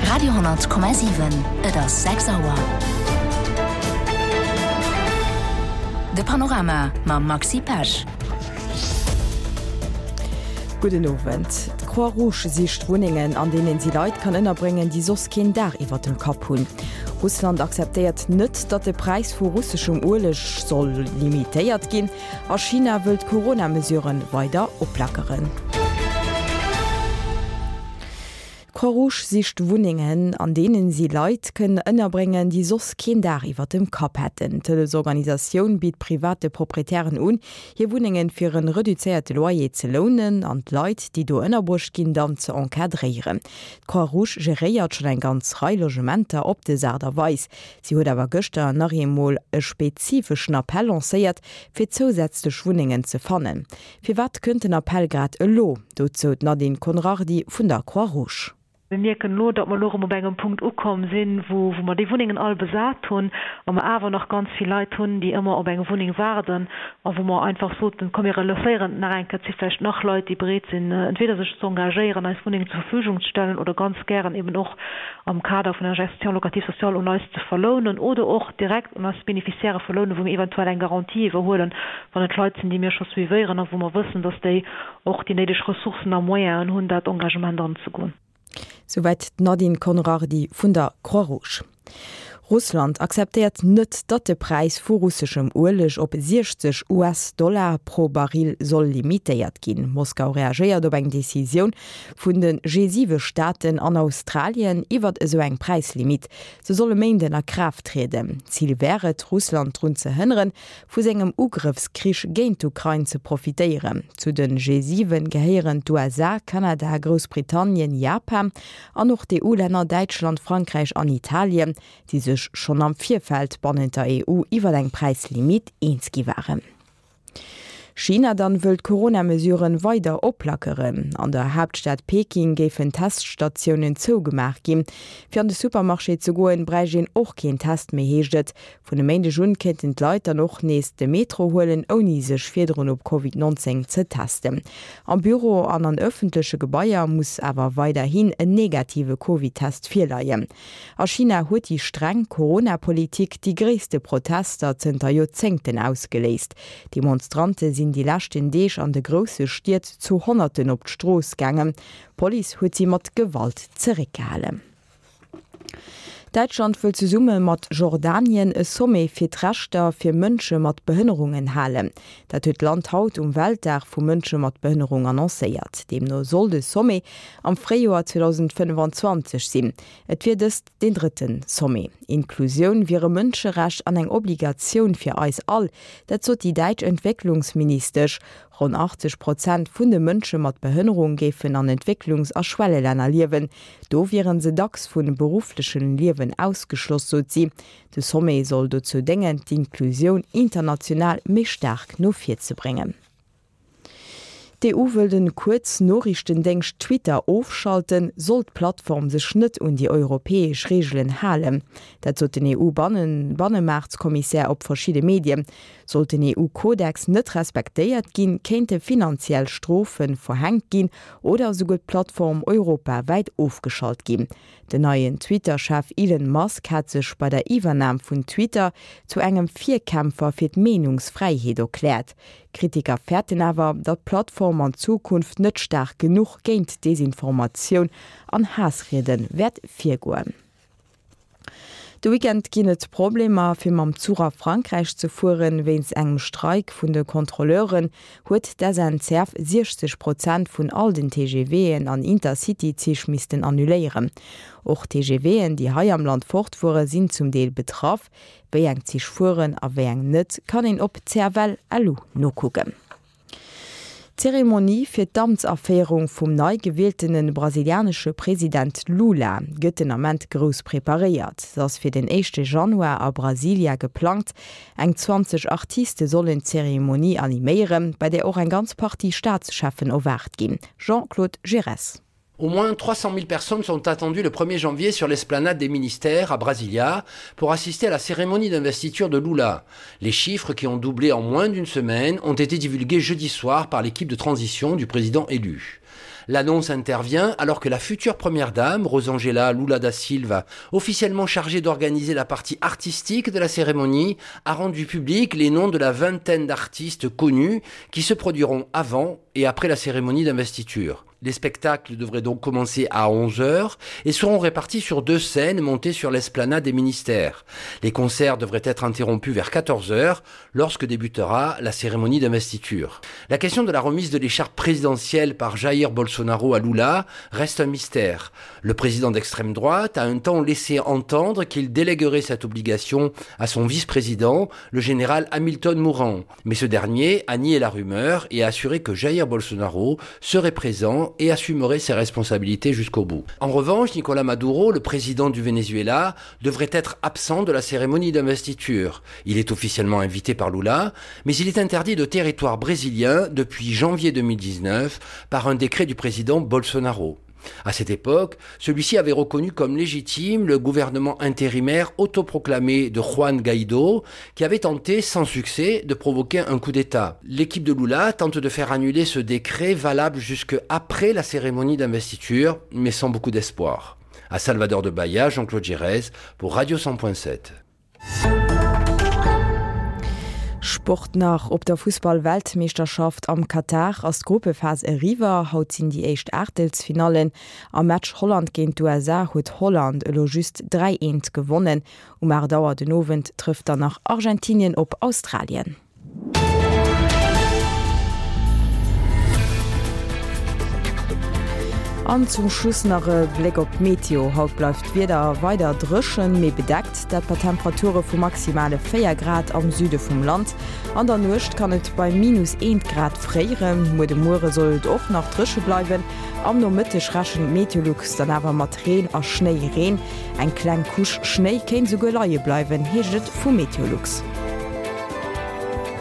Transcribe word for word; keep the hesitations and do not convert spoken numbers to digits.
Radio honnert Komma siwen, Et ass sechs Auer. De Panorama mam Maxi Pesch. Gudden Owend. D'Croix-Rouge sicht Wunnengen, an deenen si Leit kann ënnerbréngen, déi soss keen Daach iwwert dem Kapp hunn. Russland akzeptéiert net, datt de Präis vu russeschem Ueleg soll limitéiert ginn a China wëll d'Corona-Mesuren weider oplackeren. D'Croix-Rouge sicht Wunnengen, an deenen si Leit kënn ënnerbréngen, déi soss keen Daach iwwer dem Kapp hätten. D'Hëllefsorganisatioun bitt private Proprietären un, hir Wunnengen fir en reduzéierte Loyer ze lounen an d'Leit, déi do ënnerbruecht ginn, dann ze encadréieren. D'Croix-Rouge geréiert schonn eng ganz Rei Logementer op des Aart a Weis. Si huet awer gëschter nach eemol e spezifeschen Appell lancéiert, fir zousätzlech Wunnengen ze fannen. Firwat kënnt den Appell grad elo? Dozou d'Nadine Conrardy vun der Croix-Rouge. Mir mierken elo, datt mer elo erëm op engem Punkt ukomm sinn, wou wou mer déi Wunnengen all besat hunn a mer awer nach ganz vill Leit hunn, déi ëmmer op eng Wunneng waarden a wou mer einfach soten, komm mir relancéieren et nach eng Kéier, et si vläicht nach Leit, déi bereet sinn, entweder sech ze engagéieren, eis Wunnengen zur Verfügung ze stellen oder ganz gären eben och am Kader vun der Gestion locative sociale un eis ze verlounen oder och direkt un eis Bénéficiairë verlounen, wou mir eventuell eng Garantie iwwerhuelen, wann et Leit sinn, déi mir scho suivéieren a wou mer wëssen, datt déi och déi néideg Ressourcen a Moyenen hunn, dat Engagement anzegoen. Souwäit d'Nadine Conrardy vun der Croix-Rouge. Russland akzeptéiert net, datt de Präis vu russeschem Ueleg op siechzeg US-Dollar pro Baril soll limitéiert ginn. Moskau reagéiert op eng Decisioun vun de G siwe Staaten an Australien iwwert esou eng Präislimitt. Se soll e Méinden a Kraaft trieden. Zil wär et, Russland drun ze hënneren, vu sengem Ugrëffskrich géint d'Ukrain ze profitéieren. Zu de G siwen gehéieren d'U S A, Kanada, Groussbritannien, Japan an och d'E U-Länner Däitschland, Frankräich an Italien, déi sech schonn am Virfeld bannent der E U iwwer eng Präislimitt eens gi waren. China dann wëll d'Corona-Mesuren weider oplackeren. An der Haaptstad Peking géifen Teststatiounen zougemaach ginn. Fir an de Supermarché ze goen, bräicht een och keen Test méi, heescht et. Vun e Méindeg un kéinten d'Leit dann och nees de Metro huelen, ouni sech virdrun op Covid neunzéng ze testen. Am Büro an an ëffentleche Gebaier muss awer weiderhin en negative Covid-Test virleien. A China huet déi streng Corona-Politik déi gréisste Protester zënter Joerzéngten ausgeléist. Demonstrante sinn déi leschten Deeg an de grousse Stied zu Honnerten op d'Strooss gaangen. D'Police huet si mat Gewalt zeréckgehalen. Däitschland wëll zesumme mat Jordanien e Sommet fir d'Rechter fir Mënsche mat Behënnerungen halen. Dat huet d'Land haut um Weltdag vu Mënsche mat Behënnerung annoncéiert. Deemno soll de Sommet am Fréijoer zweedausendfënnefenzwanzeg sinn. Et wier dëst deen drëtten Sommet. Inklusioun wier e Mënscherecht an eng Obligatioun fir eis all. Dat sot déi däitsch Entwécklungsministesch. Ronn achtzeg Prozent vun de Mënsche mat Behënnerung géifen an Entwécklungs a Schwellelänner liewen. Do wieren se dacks vum berufflechen Liewen ausgeschloss, sot si. De Sommet soll dozou déngen, d'Inklusioun international méi staark no vir ze bréngen. D'E U wëll den Kuerznoriichtendéngscht Twitter ofschalten, sollt d'Plattform sech net un déi europäesch Reegelen halen. Dat sot den E U-Bannemaartskommissär op verschidde Medien. Sollt den E U-Kodex net respektéiert ginn, kéinte finanziell Strofe verhänkt ginn oder esouguer d'Plattform europawäit ofgeschalt ginn. Den neien Twitter-Chef Elon Musk hat sech bei der Iwwernam vun Twitter zu engem Virkämpfer fir d'Meenungsfräiheet erkläert. Kritiker fäerten awer, datt d'Plattform an Zukunft net staark genuch géint Desinformatioun an Haassriede wäert virgoen. De Weekend ginn et Problemer, fir mam Zuch a Frankräich ze fueren. Wéinst engem Streik vun de Kontrolleuren huet d'S N C F siechzeg Prozent vun all den T G W'en an Intercity-Zich missten annuléieren. Och T G W'en, déi hei am Land fortfuere, sinn zum Deel betraff. Wéi eng Zich fueren a wéi eng net, kann een op C F L L U nokucken. D'Zeremonie fir d'Amtsaféierung vum nei gewieltene brasilianesche President Lula gëtt den Ament grouss preparéiert. Se ass fir den éischte Januar a Brasilia geplangt. Eng zwanzeg Artiste sollen d'Zeremonie animéieren, bei där och eng ganz Partie Staatscheffen erwaart ginn. Jean-Claude Giresse. Au moins trois cent mille personnes sont attendues le premier janvier sur l'esplanade des ministères à Brasilia pour assister à la cérémonie d'investiture de Lula. Les chiffres qui ont doublé en moins d'une semaine ont été divulgués jeudi soir par l'équipe de transition du président élu. L'annonce intervient alors que la future première dame, Rosangela Lula da Silva, officiellement chargée d'organiser la partie artistique de la cérémonie, a rendu public les noms de la vingtaine d'artistes connus qui se produiront avant et après la cérémonie d'investiture. Les spectacles devraient donc commencer à onze heures et seront répartis sur deux scènes montées sur l'esplanade des ministères. Les concerts devraient être interrompus vers quatorze heures lorsque débutera la cérémonie d'investiture. La question de la remise de l'écharpe présidentielle par Jair Bolsonaro à Lula reste un mystère. Le président d'extrême droite a un temps laissé entendre qu'il déléguerait cette obligation à son vice-président, le général Hamilton Mourant. Mais ce dernier a nié la rumeur et a assuré que Jair Bolsonaro serait présent et assumerait ses responsabilités jusqu'au bout. En revanche, Nicolas Maduro, le président du Venezuela, devrait être absent de la cérémonie d'investiture. Il est officiellement invité par Lula, mais il est interdit de territoire brésilien depuis janvier deux mille dix-neuf par un décret du président Bolsonaro. À cette époque, celui-ci avait reconnu comme légitime le gouvernement intérimaire autoproclamé de Juan Guaido, qui avait tenté sans succès de provoquer un coup d'État. L'équipe de Lula tente de faire annuler ce décret valable jusque après la cérémonie d'investiture, mais sans beaucoup d'espoir. À Salvador de Bahia, Jean-Claude Gérèse pour Radio cent point sept. Sport nach op der Fußball-Weltmeisterschaft am Katar ass d'Gruppephase eriwwer. Haut sinn déi éischt Aachtelsfinallen. Am Match Holland géint d'U S A huet Holland elo just dräi eent gewonnen. Um aacht Auer den Owend trëfft dann nach Argentinien op Australien. An zum Schluss nach e Bléck op d'Meteo. Haut bleift d'Wieder weider dréchen, mee bedeckt, dat bei Temperature vu maximale véier Grad am Süde vum Land. An der Nuecht kann et bei minus eent Grad fréieren. Muer de Muere soll et och nach dréche bleiwen. Am Nomëtteg rechent Meteolux dann awer mat Reen a Schnéireen. Eng kleng Couche Schnéi kéint souguer leie bleiwen, heescht et vu Meteolux.